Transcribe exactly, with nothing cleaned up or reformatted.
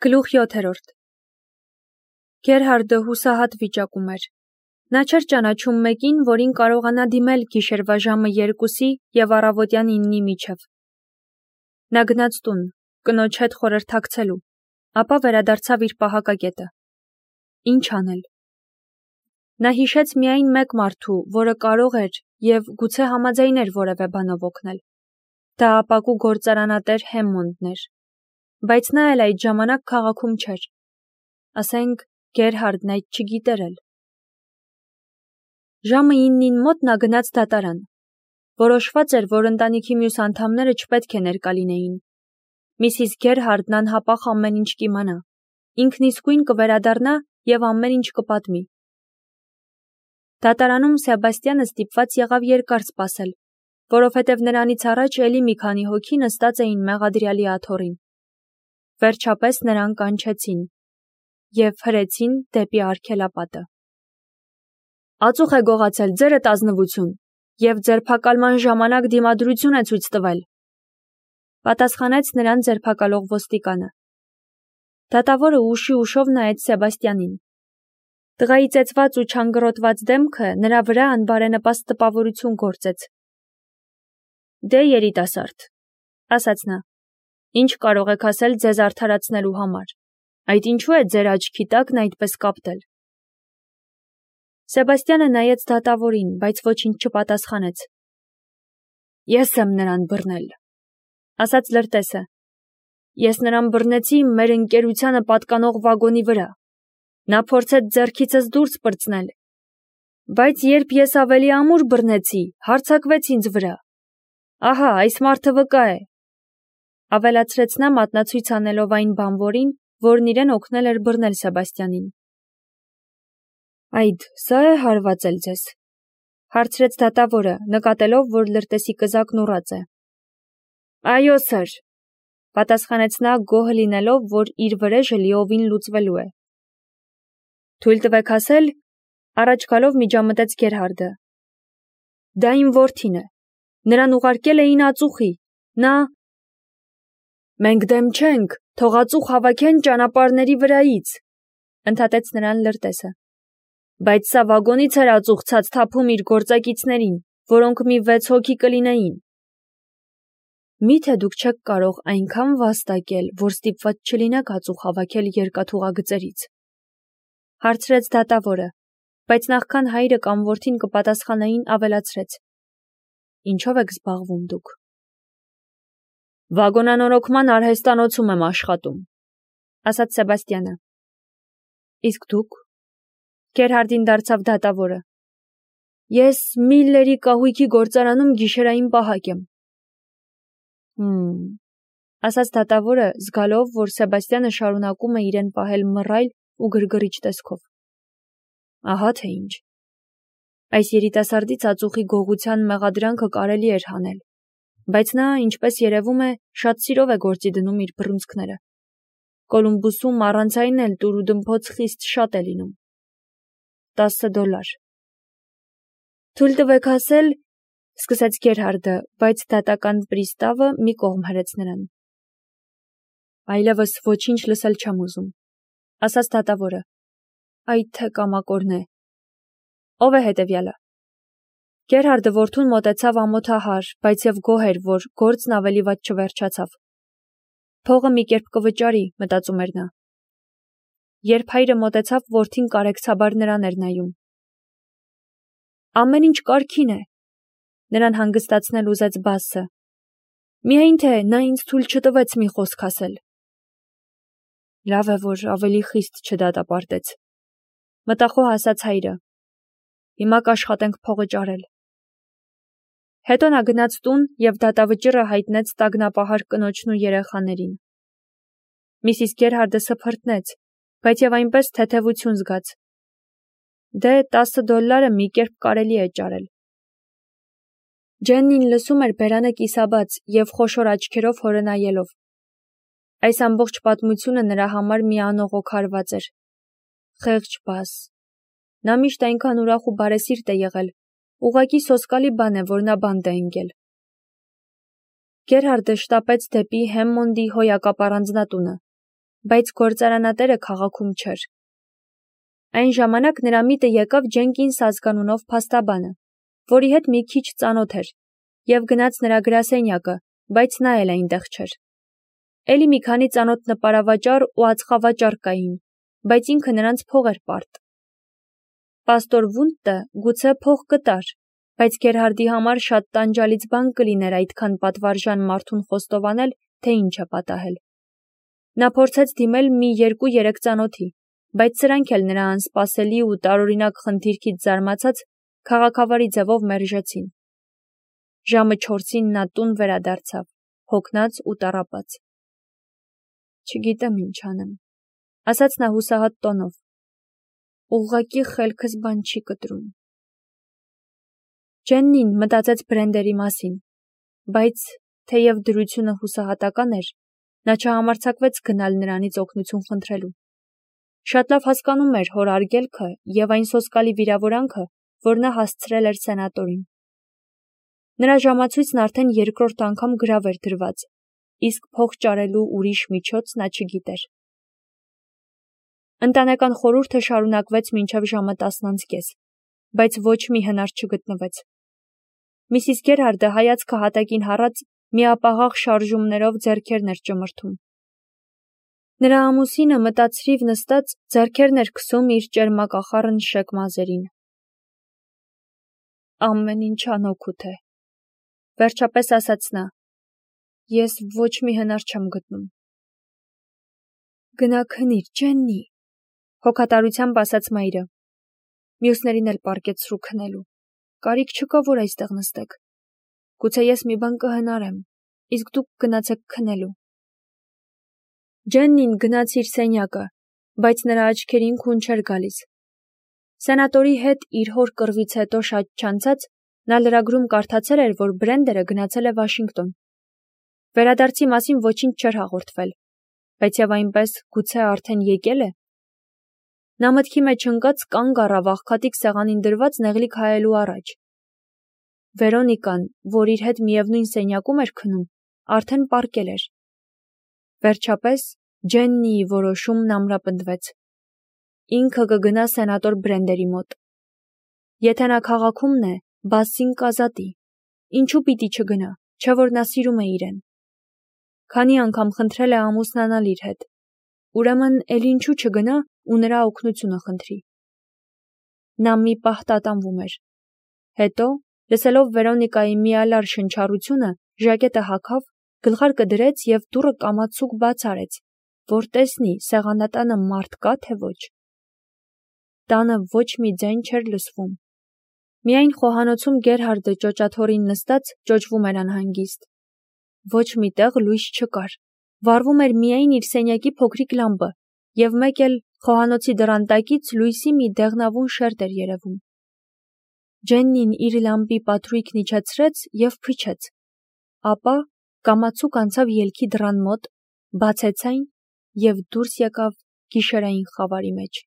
Գլուխ յոթերորդ Գերհարդը հուսահատ վիճակում էր։ Նա չէր ճանաչում մեկին, որին կարողանա դիմել գիշերվա ժամը երկուսի և առավոտյան իննի միջև։ Նա գնաց տուն, կնոջ հետ խորհրդակցելու, ապա վերադարձավ իր պահակակետը։ Ինչ անել։ Նա հիշեց միայն մեկ մարդու, որը կարող էր և գուցե համաձայներ որևէ բանով օգնել։ Դա ապակու գործարանատեր Հեմմոնդն էր, բայց նա էլ այդ ժամանակ քաղաքում չէր։ Ասենք Գերհարդն այդ չգիտեր էլ։ Ժամը իննին մոտ նա գնաց դատարան։ Որոշված էր, որ ընտանիքի մյուս անդամները չպետք է ներկա լինեին։ Միսիս Գերհարդն անհապաղ ամեն ինչ կիմանա, ինքն իսկույն կվերադառնա և ամեն ինչ կպատմի։ Դատարանում Սեբաստյանը ստիպված եղավ երկար սպասել, որովհետև նրանից առաջ էլի մի քանի հոգի նստած էին մեղադրյալի աթոռին։ Վերջապես նրան կանչեցին և հրեցին դեպի արգելապատը։ Ածուխ է գողացել, ձերդ ազնվություն, և ձերբակալման ժամանակ դիմադրություն է ցույց տվել, պատասխանեց նրան ձերբակալող ոստիկանը։ Դատավորը ուշի ուշով նայեց Սեբաստյանին։ Տղայի ծեծված ու չանգռոտված դեմքը նրա վրա անբարենպաստ տպավորություն գործեց։ Դե երիտասարդ, ասաց նա, ինչ կարող եք ասել ձեզ արդարացնելու համար, այդ ինչու է ձեր աչքի տակն այդպես կապտել։ Սեբաստյանը նայեց դատավորին, բայց ոչինչ չպատասխանեց։ Ես եմ նրան բռնել, ասաց լրտեսը։ Ես նրան բռնեցի մեր ընկերությանը պատկանող վագոնի վրա։ Նա փորձեց ձեռքիցս դուրս պրծնել, բայց երբ ես ավելի ամուր բռնեցի, հարձակվեց ինձ վրա։ Ահա, այս մարդը վկա է, ավելացրեց նա մատնացույց անելով այն բանվորին, որն իրեն օգնել էր բռնել Սեբաստյանին։ Այդ, սա է հարվածել ձեզ, հարցրեց դատավորը, նկատելով, որ լրտեսի կզակն ուռած է։ Այո, սըր, պատասխանեց նա գոհ լինելով, որ իր վրեժը լիովին լուծվելու է։ Թույլ տվեք ասել, առաջ գալով միջամտեց Գերհարդը։ Դա իմ որդին է, նրան ուղարկել էին ածուխի, նա… Մենք դեմ չենք, թող ածուխ հավաքեն ճանապարհների վրայից, ընդհատեց նրան լրտեսը։ Բայց սա վագոնից էր ածուխ ցած թափում իր գործակիցներին, որոնք մի վեց հոգի կլինեին։ Միթե դուք չեք կարող այնքան վաստակել, որ ստիպված չլինեք ածուխ հավաքել երկաթուղագծերից, հարցրեց դատավորը, բայց նախքան հայրը կամ որդին կպատասխանեին, ավելացրեց. Ինչով եք զբաղվում դուք։ Վագոնանորոգման արհեստանոցում եմ աշխատում, ասաց Սեբաստյանը։ Իսկ դուք։ Գերհարդին դարձավ դատավորը։ Ես Միլլերի կահույքի գործարանում գիշերային պահակ եմ։ Հմ, ասաց դատավորը, զգալով, որ Սեբաստյանը շարունակում է իրեն պահել մռայլ ու գրգռիչ տեսքով։ Ահա թե ինչ։ Այս երիտասարդից ածուխի գողության մեղադրանքը կարելի էր հանել, բայց նա, ինչպես երևում է, շատ սիրով է գործի դնում իր բռունցքները։ Կոլումբուսում առանց այն էլ տուր ու դմփոց խիստ շատ է լինում։ Տասը դոլար։ Թույլ տվեք ասել, սկսեց Գերհարդը, բայց դատական պրիստավը մի կողմ հրեց նրան։ Այլևս ոչինչ լսել չեմ ուզում, ասաց դատավորը։ Այդ թե կամակորն է։ Ով է հետևյալը։ Գերհարդը որդուն մոտեցավ ամոթահար, բայց և գոհ էր, որ գործն ավելի վատ չվերջացավ։ Փողը մի կերպ կվճարի, մտածում էր նա։ Երբ հայրը մոտեցավ, որդին կարեկցաբար նրան էր նայում։ Ամեն ինչ կարգին է, նրան հանգստացնել ուզեց բասը։ Միայն թե նա ինձ թույլ չտվեց մի խոսք ասել։ Լավ է, որ ավելի խիստ չդատապարտեց, մտախոհ ասաց հայրը։ Հիմա կաշխատենք փողը ճարել։ Հետո նա գնաց տուն և դատավճիռը հայտնեց տագնապահար կնոջն ու երեխաներին։ Միսիս Գերհարդը սփռտնեց, բայց և այնպես թեթևություն զգաց։ Դե տասը դոլարը մի կերպ կարելի է ճարել։ Ջեննին լսում էր բերանը կիսաբաց և խոշոր աչքերով հորը նայելով։ Այս ամբողջ պատմությունը նրա համար մի անողոք հարված էր։ Խեղճ բաս։ Նա միշտ այնքան ուրախ ու բարեսիրտ է եղել, ուղղակի սոսկալի բան է, որ նա բանտ է ընկել։ Գերհարդը շտապեց դեպի Հեմմոնդի հոյակապ առանձնատունը, բայց գործարանատերը քաղաքում չէր։ Այն ժամանակ նրա միտը եկավ Ջենկինս ազգանունով փաստաբանը, որի հետ մի քիչ ծանոթ էր, և գնաց նրա գրասենյակը, բայց նա էլ այնտեղ չէր։ Էլի մի քանի ծանոթ նպարավաճառ ու ածխավաճառ կային, բայց ինքը նրանց փող էր պարտ։ Պաստոր Վունդտը գուցե փող կտար, բայց Գերհարդի համար շատ տանջալից բան կլիներ այդքան պատվարժան մարդուն խոստովանել, թե ինչ է պատահել։ Նա փորձեց դիմել մի երկու-երեք ծանոթի, բայց սրանք էլ նրա անսպասելի ու տարօրինակ խնդիրքից զարմացած քաղաքավարի ձևով մերժեցին։ Ժամը չորսին նա տուն վերադարձավ, հոգնած ու տառապած։ «Չգիտեմ ինչ անեմ», ասաց նա հուսահատ տոնով։ «Ուղղակի խելքս բան չի կտրում»։ Ջեննին մտածեց Բրենդերի մասին, բայց, թեև դրությունը հուսահատական էր, նա չհամարձակվեց գնալ նրանից օգնություն խնդրելու։ Շատ լավ հասկանում էր հոր արգելքը և այն սոսկալի վիրավորանքը, որ նա հասցրել էր սենատորին։ Նրա ժամացույցն արդեն երկրորդ անգամ գրավ էր դրված, իսկ փող ճարելու ուրիշ միջոց նա չգիտեր։ Ընտանեկան խորհուրդը շարունակվեց մինչև ժամը տասն անց կես, բայց ոչ մի հնար չգտնվեց։ Միսիս Գերհարդը հայացքը հատակին հառած միապաղաղ շարժումներով ձեռքերն էր ճմրթում։ Նրա ամուսինը մտածրիվ նստած ձեռքերն էր քսում իր ճերմակախառն շեք մազերին։ «Ամեն ինչ անօգուտ է», վերջապես ասաց նա։ «Ես ոչ մի հնար չեմ գտնում»։ «Գնա քնիր, Ջեննի», հոգատարությամբ ասաց մայրը։ Մյուսներին էլ պառկեցրու քնելու։ Կարիք չկա, որ այստեղ նստեք։ Գուցե ես մի բան կհնարեմ, իսկ դուք գնացեք քնելու։ Ջեննին գնաց իր սենյակը, բայց նրա աչքերին քուն չէր գալիս։ Սենատորի հետ իր հոր կռվից հետո շատ չանցած նա լրագրում կարդացել էր, որ Բրենդերը գնացել է Վաշինգտոն։ Վերադարձի մասին ոչինչ չէր հաղորդվել, բայց և այնպես գուցե արդեն եկել է։ Նա մտքի մեջ ընկած կանգ առավ աղքատիկ սեղանին դրված նեղլիկ հայելու առաջ։ Վերոնիկան, որ իր հետ միևնույն սենյակում էր քնում, արդեն պառկել էր։ Վերջապես Ջեննիի որոշումն ամրապնդվեց։ Ինքը կգնա սենատոր Բրենդերի մոտ։ Եթե նա քաղաքումն է, Բասսին կազատի։ Ինչու պիտի չգնա, չէ՞ որ նա սիրում է իրեն։ Քանի անգամ խնդրել է ամուսնանալ իր հետ։ Ուրեմն էլ ինչու չգնա ու նրա օգնությունը խնդրի։ Նա մի պահ տատանվում էր։ Հետո, լսելով Վերոնիկայի միալար շնչառությունը, ժակետը հագավ, գլխարկը դրեց և դուռը կամացուկ բաց արեց, որ տեսնի սեղանատանը մարդ կա, թե ոչ։ Տանը ոչ մի ձայն չէր լսվում։ Միայն խոհանոցում Գերհարդը ճոճաթոռին նստած ճոճվում էր անհանգիստ։ Ոչ մի տեղ լույս չկար, վառվում էր միայն իր սենյակի փոքրիկ լամպը, և մեկ էլ խոհանոցի դռան տակից լույսի մի դեղնավուն շերտ էր երևում։ Ջեննին իր լամպի պատրույգն իջեցրեց և փչեց, ապա կամացուկ անցավ ելքի դռան մոտ, բացեց այն և դուրս եկավ գիշերային խավարի մեջ։